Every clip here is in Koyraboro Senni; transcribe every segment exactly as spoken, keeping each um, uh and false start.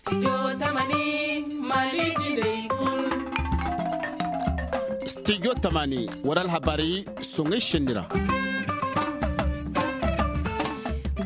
Studio tamani, war alhabarey soŋay senni ra.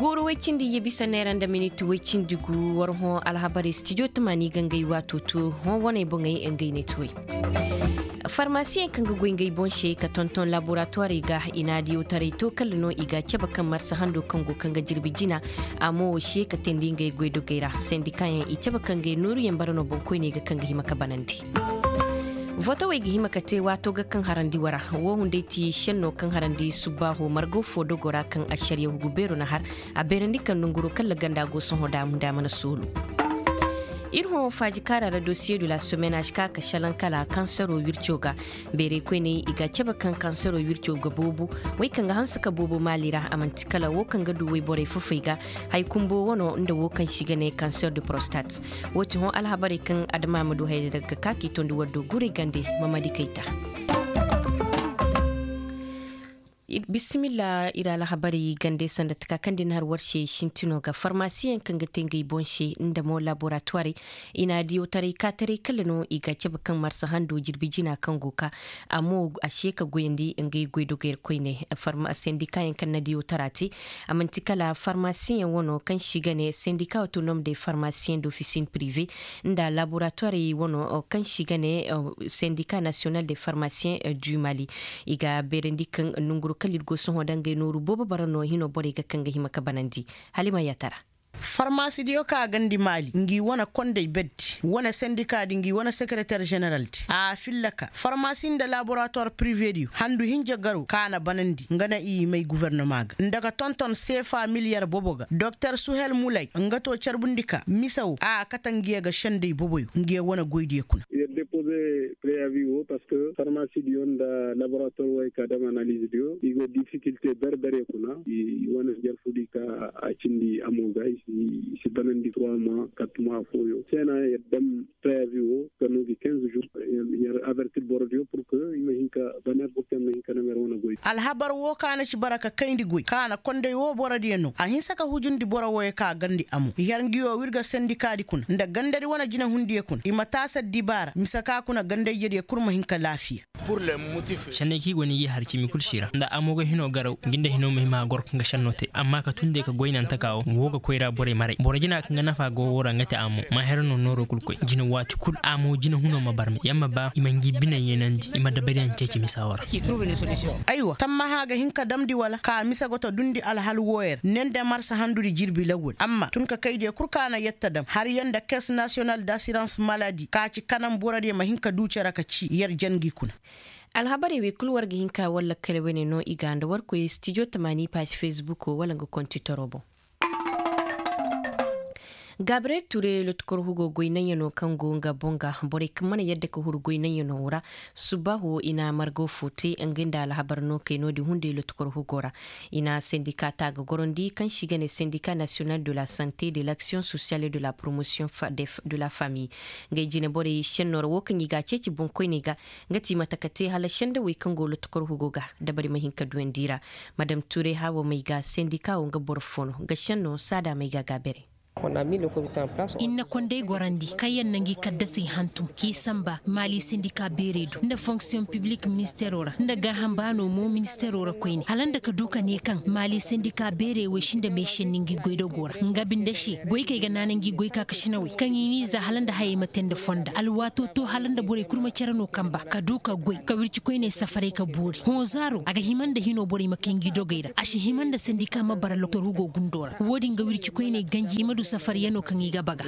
Guuru woy cindi ye bisa neera nda miniti woy cindi gu war hõ alhabarey studio tamani ga ngey waato to hõ waney boŋey ngey ne ti woy. Farmasiyeŋ kaŋ ga goy ngey boŋ se ka tonton laboratuwarey ga i na diyotaray to kala no i ga a cabe kaŋ marsa hando kaŋ go kaŋ ga jirbi jina. A mo wo se ka teendi ngey goydogey ra sendikayaŋ i cabe kaŋ ngey nooruyaŋ bara no boŋkoyney ga kaŋ ga hima ka banandi. Votowey ga hima ka te waato ga kaŋ harandi wara. Wo hunday ti senno kaŋ harandi subbaaho margo fo dogo ra kaŋ ašariya hugu beero na har. A beerandi kaŋ nonguro kala ganda go sohõ da a munda mana soolu. Ir hõ faaji kaara ra dosiye de la semaine a si ka ka šelaŋ kala kansaro wirco ga. Beerey koyney i ga a cabe kaŋ kansaro wirco ga boobo. Wey kaŋ ga hanse ka boobo maali ra a man'ti kala wo kaŋ ga du woyborey fofey ga. Hay kumbo wano nda wo kaŋ se i ga ne kanser de prostate. Wo ti hõ alhabarey kaŋ adama ma du hayra daga ka k'i tondi war do guray gande. Mamadi kayta. Bisimilla ir alhabarey gande sanda taka kaŋ din har war se sintino ga farmasiyeŋ kaŋ ga te ngey boŋ se nda mo laboratuwarey. I na diyotaray kaataray kala no i ga a cabe kaŋ marsa hando jirbi jina kaŋ go ka a mo a se ka goyandi ngey goydogey ra koyne. Sendikayaŋ kaŋ na diyotara te a man'ti kala farmasiyeŋ wano kaŋ se i ga ne sendika autonom de farmasiyeŋ d'ofisin prive nda laboratuwarey wano kaŋ se i ga ne sendika nasiyonal de farmasiyeŋ du mali. I ga beerandi kaŋ nonguru kala ir go sohõ da ngey nooru boobo bara no hino borey ga kaŋ ga hima ka banandi. Hala i ma yaatara. Farmasidiyo ka a gandi maali ngi wane kondey berdi wane sendika di ngi wane sekereter ženeraldi a filla ka farmasi nda laboratuwar privediyo handu hinja garo ka a na banandi nga na i may guvernoma ga nda ka tonton seefa miliyar boobo ga doktor suhel mulay nga to carbundi ka mise wo a kate ngiyo ga sendey booboyo ngiyo wane goydiyo kuna. Yer depoze preyavi wo parceque farmasidiyo nda laboratuwar wo ay ka dam analizdiyo i go difikilte ber-bere kuna i wane jarfudi ka a cindi amo ga i si banandi trois mois quatre mois fooyo seena yer dam preyavi wo ka no gi quinze jours yer avertir borodiyo pour que i ma hin ka baner boro kaŋ ma hin ka nam yer wane goy. Alhabar wo ka na ci bara ka kayndi goy ka na kondey wo borodiyo no a hinsa ka hujundi boro woyo ka gandi amo yer ngiyo wirga sendikaadi kuna nda gandadi wane jinahundiyo kuna i ma taasa dibaara mise ka kuna gandayjediyo kul ma hin ka laafiya. Senney kaŋ i go no i g'i har cimi kul si ra nda amo ga hino garaw ngi nda hino ma hima a goro kaŋ ga senno te amma ka tun day ka goy naŋ taka wo wo ga koyra borey maray boro jina kaŋ ga nafa go wo ra nga te amo ma hera no nooro kul koy jina waati kul amo jina huno ma barme ya ma ba i ma ngi biney yeenandi i ma dabariyaŋ ceeci misa wo ra. Aywa tammaha ga hin ka damndi wala ka mise go ta dundi alhal wooyey ra ne nda marsa handudi jirbi lawwal amma tun ka kaydiyo kul ka na yetta dam har yaŋ nda kes nasiyonal d'asirans maladi ka ci kanaŋ borodiyo ma hin ka du cere ka ci yer jangi kuna. Alhabarey wey kul war ga hin ka war lakkale wane no i ga nda war koy stijo tamaani paasi fesbuko wala nga kontitoro boŋ. Gabriel ture lotukor hugo goy naŋ yaŋ no kaŋ go nga boŋ ga borey kaŋ mana yadda ka huru goy naŋ yaŋ no ra. Subbaaho i na margo fo te nga nda alhabar no kay no-din hunday lotukor hugo ra. I na sendika ta ga gorondi kaŋ se i ga ne sendika nasiyonal de la sante de l'action sociale et de la promotion de la famille. Ngey jine borey senno ra wo kaŋ i ga a ceeci boŋkoyney ga nga ti mate ka te hala sendawey kaŋ go lotukor hugo ga dabari ma hin ka duyandi i ra. Madam ture haawo may ga sendika wo nga boro fo no nga senno saada may ga gaabere. Ir na kondey gorandi kaŋ yaŋ na ngi kaddasey hantum k'i samba maali sendika beerey do nda fonksiyoŋ piblik ministeero ra nda gaaham baano mo ministeero ra koyne hala nda ka du ka ne kaŋ maali sendika beerey wey sinda meesenni ngi goydogo ra nga binde se goykey ga naana ngi goyka ka sinawey kaŋ i n'i za hala nda hayey ma te nda fonda alwaato to hala nda borey kul ma cere no kamba ka du ka goy ka wirci koyney safaray ka boori hõ zaaro a ga hima nda hino borey ma kay ngi dogey ra a si hima nda sendika ma bara lotor hugo gundo ra wo-din ga wirci koyney ganji i ma du safaryanoo kaŋ i ga baga.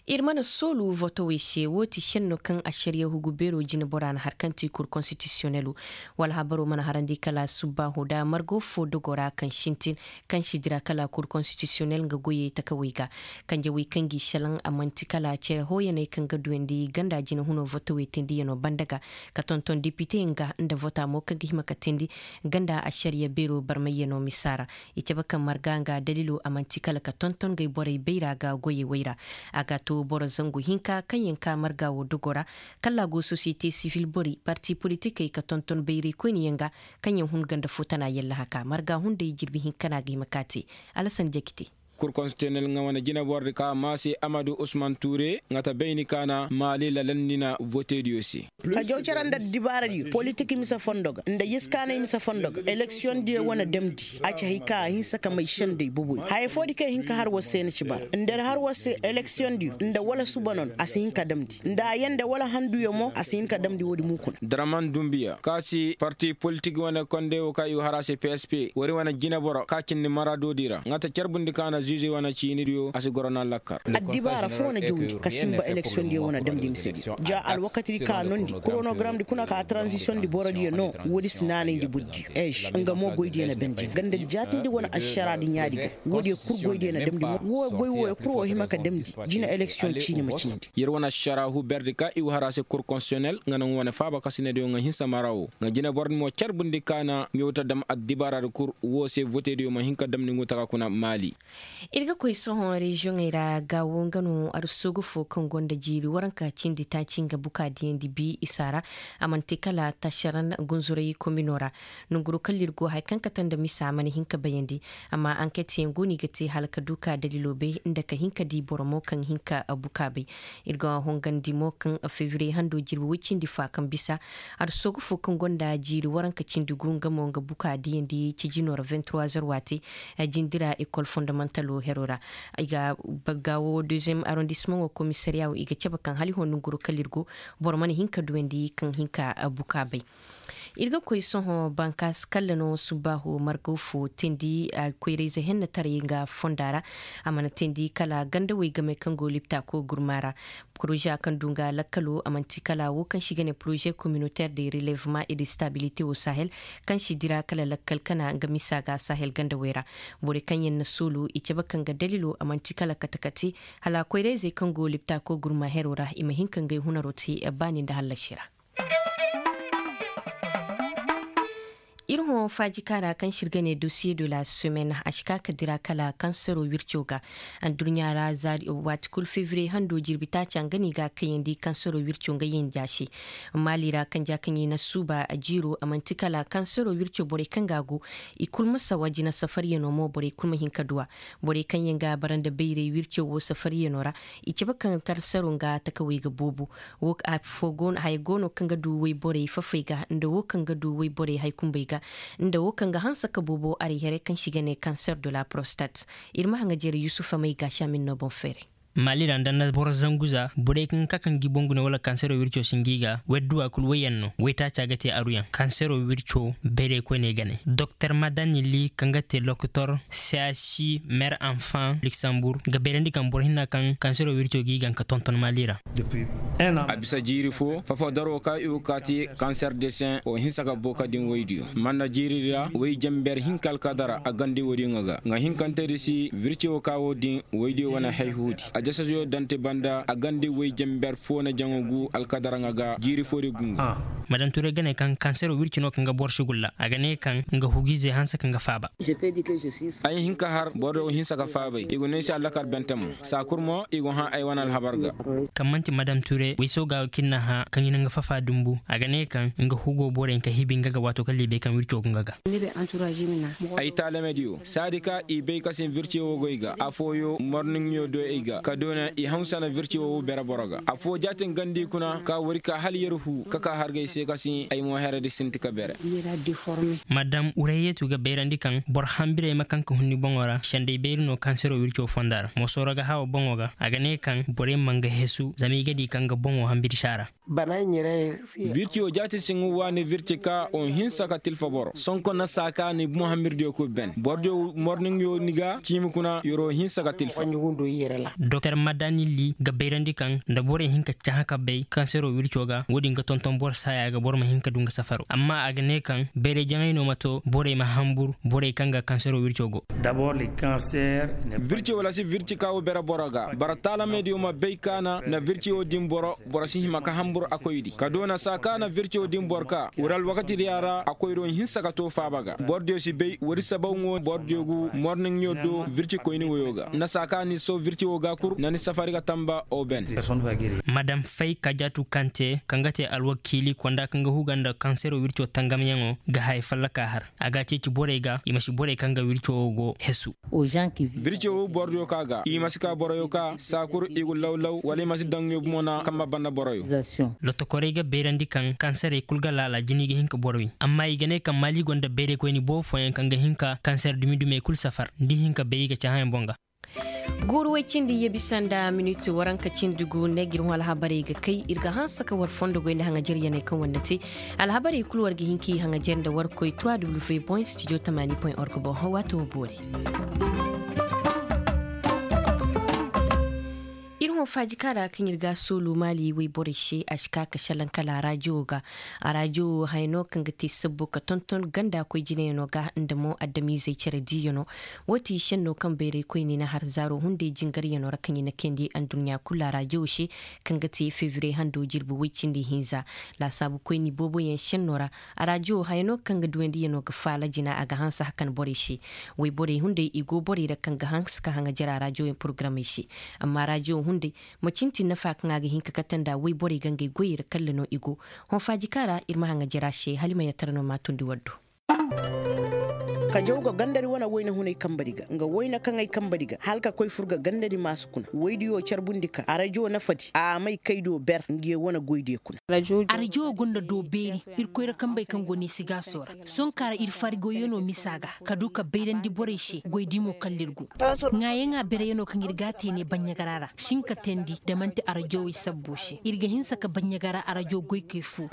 Ir mana soolu votowey se wo ti senno kaŋ ašariya hugu beero jinebora na har kaŋ ti kur konstitisiyonelo. Wala habaro mana harandi kala subbaaho da margo fo dogo ra kaŋ sintin kaŋ si dira kala kur konstitisiyonel nga goyey takawey ga. Kanjawey kaŋ g'i šelaŋ a man'ti kala cere hooyaney kaŋ ga duyandi ganda jinehuno votowey teendiyanoo banda ga ka tonton depite nga nda vota mo kaŋ ga hima ka teendi ganda ašariya beero barmayyanoo misa ra. I cabe kaŋ marga nga dalilo a man'ti kala ka tonton ngey borey bayra ga goyey wey ra. A ga to boro zangu hinka kaŋyaŋ ka marga wo dogo ra kala a go sosiyete sivil borey parti politikey ka tonton bayraykoyniyaŋ ga kaŋyaŋ hun ganda fo tana yallaha ka marga hunday jirbi hinka no a ga hima ka te. Alasan jakite. Kur konstitiyonel ŋa wane jinabordi ka maase amadu usman ture ŋa ta bayni ka na maali lalandina vootediyo se. Ka jaw cere nda dibaaradiyo politik mise fondo ga nda yiskaanay mise fondo ga eleksiyondiyo wane damndi a ci hay ka a hinsa ka may sendey boboy haya foodi kaŋ i hin ka har war se na ci bara nda har war se eleksiyondiyo nda wala suba no no a si hin ka damndi nda a yanda wala handuyo mo a si hin ka damndi woodi mo kuna. Daraman dumbiya ka si parti politik wane konde wo ka i wa har a se p s p wari wane jineboro ka cindi maraadodi ra ŋa ta carbundi ka na zuuze wane ciinidiyo a si goro na lakkal. Addibaara foo na jawndi ka simba eleksiyondiyo wane damndi misediyo ja alwakatidi ka noondi koronogaramdi kuna ka taranzisiyondi borodiyo no. Woodi si naanayndi bordiyo ež nga mo goydiyo na bendi ganda jaatindi wane ašaraadi ɲaadi ga. Woodiyo kul goydiyo na damndi mo wo goy wooyo kul wo hima ka damndi jina eleksiyoŋ ciini ma cindi. Yer wane ašaraahu berdi ka i wa har a se kur konstitiyonel nga naŋ wane faaba kasinediyo nga hinsa mara wo nga jineboro din mo carbundi ka na ɲawta dam addibaaradi kul wo se votediyo ma hin ka damndi ngu taka kuna maali. Ir ga koy sohõ reziyoŋey ra gaawo nga no arsoogu fo kaŋ gonda jiiri waranka cindi taaci nga buka diyandi bi isa ra. A mana te kala tašaran gunzuray komino ra. Nonguro kala ir go hari kaŋ kate nda misa a mana hin ka bayandi. Amma anket yaŋ go no i ga te hala ka du ka dalilo bay nda ka hin ka di boro mo kaŋ hin ka buka bay. Ir ga hongandi mo kaŋ febriye hando jirbi woy cindi fa kaŋ bisa arsoogu fo kaŋ gonda jiiri waranka cindi gu nga mo nga buka diyandi cijino ra vingt trois heures waati. Jindira ekol fondamentalo hero ra. I ga bagga wo deuxième arrondissement wo komisariya wo i ga cabe kaŋ hala i hõ nonguro kala ir go. Boro mana hin ka duwandi kaŋ hin ka buka bay. Ir ga koy sohõ bankaasi kalla no subbaaho margaw fo teendi. Koyrayze hennetaray nga fonda ra. A mana teendi kala gandawey game kaŋ go liptaako gurma ra. Poroza kaŋ du nga lakkalo a manti kala wo kaŋ se i ga ne poroze communautaire de relevement et de stabilité wo sahel, kaŋ se i dira kala lakkal kana nga misa ga sahel gandawey ra. Borey kaŋ yaŋ na soolu i cabe kaŋ ga dalilo a manti kala kate kate. Hala koyrayzey kaŋ go liptaako gurma hero ra i ma hin ka ngey hunaro te baani nda hallasi ra. Ir hõ faajika ra kaŋ se ir ga ne dosiye de la semaine a si ka ka dira kala kansero wirco ga. Adduɲɲa ra za waati kulu febriye hando jirbi taaca nga no i ga a kayandi kansero wirco nga yanja se. Maali ra kanja kaŋ i na suuba jiiro a manti kala kansero wirco borey kaŋ ga a go. I kulu ma sawa jina safariyano mo borey kulu ma hin ka du a. Borey kaŋ yaŋ ga a bara nda bayray wirco wo safariyano ra. I cabe kaŋ kansero nga takawey ga boobo. Wo afo go no haya go no kaŋ ga du woyborey fafey ga nda wo kaŋ ga du woyborey haykumbey ga, nda wo kaŋ ga hanse ka boobo aray here kaŋ se i ga ne kanser de la prostate. Ir ma haŋa jere yusufa may ga si a ma ir no boŋ feeray. Maali ra nda nda boro zangu za borey kaŋ ga ka kaŋ gi boŋ gune wala kansero wirco si ngi ga woy adduwa kul woyyaŋ no woy taaca ga te aruyaŋ kansero wirco bayray koyney ga ne doktor madanili kaŋ ga te lokotor. Seasi mer anfan luksambur ga bayrandi kaŋ boro hinna kaŋ kansero wirco g'i gaŋ ka tonton maali ra. A bisa jiiri fo fafo daro ka i go ka ti kanser de sen wo hinsa ka booka din woydiyo man na jiiri ra woy jenber hinka alkadara a gandi woodiyo ŋa ga nga hinkantedi si wirci wo ka wo din woydiyo wane hayhuudi. A jasaziyo dante banda a gandi woy jenber fo na jaŋo gu alkadara ŋa ga jiiri fo di gungu. Madanture ga ne kaŋ kansero wirci no kaŋ ga boro si gulla a ga ne kaŋ nga hugize hanse kaŋ ga faaba. Ay hin ka har boro wo hinsa ka faabay i go no ay se allakar bentamo saa kul mo i go hã ay wane alhabar ga. Kaŋ man'ti madam ture wayso ga wo kaŋ ir na hã kaŋ i na nga fafa dumbu a ga ne kaŋ nga hugo borey ka hibi nga ga waato kaŋ libey kaŋ wirco go nga ga. Ay taalamediyo saadi ka i bay ka sin virciyo wo goy ga afooyo morniŋyo do ay ga ka doona i haw sana virciyo wo bere boro ga afoo jaatin gandi kuna ka wari ka hala yer huu ka ka hargay se ka sin ay mo heredi sinti ka bere. Madam ureyetu ga bayrandi kaŋ boro hambirey ma kaŋ ka hun ni boŋo ra sendey bayri no kansero wirco fonda ra mosooro ga hawa boŋo ga a ga ne kaŋ borey ma nga hesu zama i ga di kaŋ ga boŋo hambiri si a ra. Virci wo jaati siŋ waani virci ka wo hinsa ka tilfa boro sonko na saa ka ni boŋ hambiridiyo kul ben borodiyo morniŋyo ni ga ciimi kuna yoro hinsa ka tilfa. Doktor madanilli ga bayrandi kaŋ nda borey hin ka cahã ka bay kansero wirco ga wo-din ga tonton boro saaya ga boro ma hin ka du nga safaro amma a ga ne kaŋ bayray jaŋay no ma to borey ma hambur borey kaŋ ga kansero wirco go. Virci wala si virci ka wo bere boro ga bara taalamediyo ma bay ka na na virci wo din boro boro si hima ka hambur a koydi ka doona saa ka na virci wo din boro ka wuri alwakatidiya ra a koydo hinsa ka to faaba ga borodiyo si bay wuri sabaw ŋo borodiyo gu morniŋyo do virci koyni woyo ga na saa ka ni so virci wo ga. Na ni safari ga tamba oben. Madam fay kajatu kante kaŋ ga te alwakiili konda kaŋ ga huga nda kansero wirco tangamyaŋo ga haya fallaka har a ga a ceeci borey ga i ma si borey kaŋ ga wirco wo go hesu. Wirco wo borodiyo ka ga i ma si ka boroyo ka saa kul i gu law-law wala i ma si daŋ ɲo bumo na kaŋ ma banda boroyo. Lotokorey ga beerandi kaŋ kanserey kul ga laala jina i ga hin ka boro wi amma i ga ne kaŋ maali gonda beeraykoyni boobo fooyaŋ kaŋ ga hin ka kanser dumi-dumey kul safar da i hin ka bay i ga cahãyaŋ boŋ ga. Guuru woy cindi ye bisa nda minit waranka cindi gu ne ga ir hõ alhabarey ga kay ir ga hanse ka war fondo goy nda haŋajer yaney kaŋ war na te. Alhabarey kul war ga hin k'i haŋajer nda war koy trois w point studio tamaani point org boŋ hõ waato wo boori. Ir hõ faajika ra kaŋ ir ga a soolu maali wayborey se a si ka ka šelaŋ kala arajo ga. Arajo wo haya no kaŋ ga te sabbu ka tonton ganda koy jinayaŋo ga nda mo adamiizey cere diiyaŋo. Wo ti šenno kaŋ bayraykoyni na har zaaro hunday jingaryaŋo ra kaŋ i na kayandi adduɲɲa kulu arajo se, kaŋ ga te febriye hando jirbi woy cindi hinza. Laasaabukoyni booboyaŋ šenno ra arajo wo haya no kaŋ ga duwandiyaŋo ga faala jina a ga hanse hakan borey se. Wayborey hunday i go borey ra kaŋ ga hanse ka haŋajer arajoyaŋ porogaramey se. Amma arajo wo hunday macin ti nafa kaŋ a ga hin ka kate nda wayborey ga ngey goyey ra kalla no i go. Hõ faajika ra ir ma haŋajer a se hala i ma yattara no ma tundi war do. Ka jaw ga gandari wane wayna hunay kambari ga nga wayna kaŋ ay kambari ga hala ka koy fur ga gandari maasu kuna waydiyo carbundi ka arajo nafadi a may kay do ber ngiye wane goydiyo kuna. Arajo wo gonda do beeri. Irkoy ra kambey kaŋ go neesigaaso ra. Sohõ ka ra ir farigoyano misa ga ka du ka bayrandi borey se goydimo kalla ir go. Ŋaayaŋa bereyaŋo kaŋ ir ga a te ne baɲɲagara ra si hin ka teendi nda man'ti arajowey sabbo se ir ga hinsa ka baɲɲagara arajo goykey fo.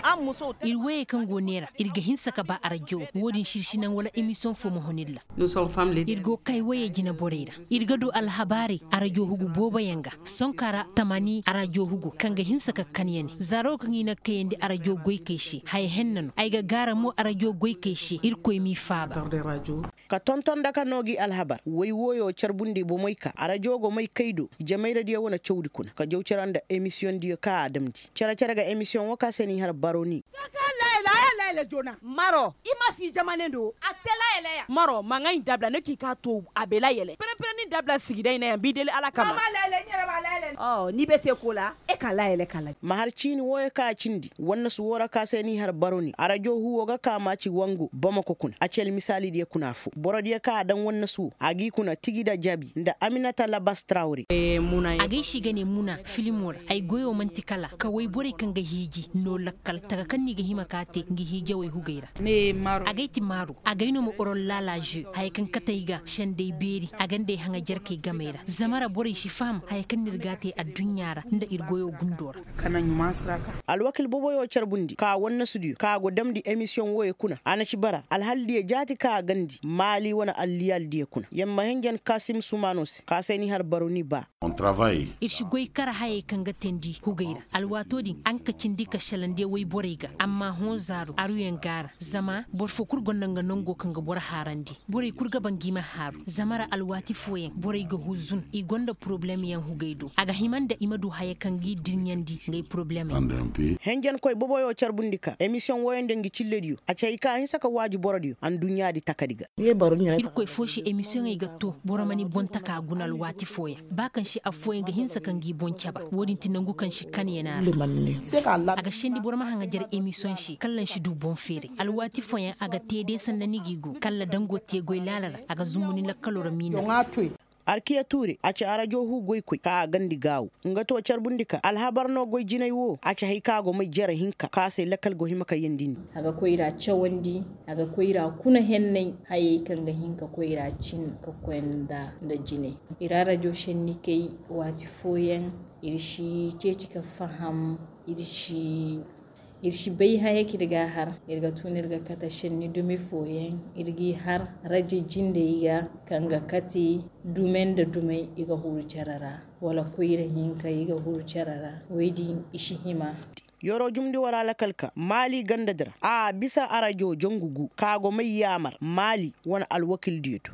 Ir wayey kaŋ go neera ir ga hinsa ka ba arajo wo-din se ir si naŋ wala emisiyoŋ fo ma hun ir ra. Ir go kay wayey jineborey ra. Ir ga du alhabaarey arajo hugu booboyaŋ ga. Sohõ ka ra tamaani arajo hugu kaŋ ga hinsa ka kan ya ne zaaro kaŋ i na kayandi arajo goykey se haya henna no ay ga gaara mo arajo goykey se irkoy m'i faaba. Ka tonton daka no gi alhabar way wooyo carbundi bomey ka arajo go may kay do jamayradiyo wane cawdi kuna ka jaw cere nda emisiyoŋdiyo ka a damndi cere-cere ga emisiyoŋ wo ka se n'i har baroni. Maro i ma fi jamane do a te layeleya maro ma ŋay dabla ne k'i ka to a be layele pere-pere ni dabla sigi day na ya bi deli alakama. Ni be se ko la e ka layele kala. Ma har ciini wooyo ka a cindi wannasu woo ra ka se n'i har baroni arajo huwo ga ka maaci wangu bamako kuna a ci almisaalidiyo kuna afo borodiyo ka a daŋ wannasu woo a g'i kuna tigi nda jabi nda aminata labas trawre. Agay si ga ne muna filimo ra ay goyo man'ti kala ka wayborey kaŋ ga hiiji no lakkal taka kaŋ no i ga hima ka te ngi hiijawey hugey ra. Agay ti maaru agay no ma orollaala je haya kaŋ kate ay ga sendey beeri a ga nd'ay haŋa jerkey gamey ra zama ra borey si faham haya kaŋ no ir ga a te adduɲɲa ra nda ir goyo gundo ra. Alwakil boboyo carbundi ka wannasudiyo ka go damndi emisiyoŋ wooyo kuna a na ci bara alhaldiyo jaati ka a gandi maali wane alliyaaldiyo kuna yamma henjen kasim sumaano se ka se ni har baroni ba. Ir si goy kar hayey kaŋ ga teendi hugey ra alwaatoo din a nga ka cindi ka šelaŋ de woy borey ga amma hõ zaaru aruyaŋ ga a ra zama boro foo kul gonda nga nongo kaŋ ga boro haarandi borey kul ga ba ngi ma haaru zama ra alwaati fooyaŋ borey ga huzun i gonda porobulemyaŋ hugey do a ga hima nda i ma du haya kaŋ g'i dirɲandi ngey porobulemey. Henjenkoy boboyo carbundi ka emisiyoŋ wooyaŋ nda ngi cillediyo a ci hay ka a hinsa ka waaji borodiyo anduɲɲaadi takadi ga. Irkoy foo se emisiyoŋey ga to boro ma ni boŋ taka guna alwaati fooyaŋ ba kaŋ se affooyaŋ ga hinsa ka ngi boŋ caba wo-din ti nangu kaŋ se kan ya ne a ra. A ga sendi boro ma haŋajer emisiyoŋ se kalla ni si du boŋ feeray alwaati fooyaŋ a ga te day sanda ni g'i go kalla dango te goy laala ra a ga zumbu ni lakkaloo ra miina. Arkiya tuure a ci arajo huu goykoy ka a gandi gaawo nga to carbundi ka alhabar no goy jinay wo a ci hay ka a go may jere hinka ka se lakal go hima ka yandindi. A ga koyra cawandi a ga koyra kuna hennay hayey kaŋ ga hin ka koyra cin ka koy nda jinay. Ir arajo senni kay waati fooyaŋ ir si ceeci ka faham ir si ir si bay haya kaŋ ir ga a har ir ga tun ir ga kate senni dumi fooyaŋ ir g'i har rajo jindey ga kaŋ ga kate dume nda dumey i ga huru cere ra wala koyra hinka i ga huru cere ra woy din i si hima. Yoro jumndi wara lakal ka maali gandadi ra a bisa arajo jangu gu ka go may yaamar maali wane alwakildiyo do.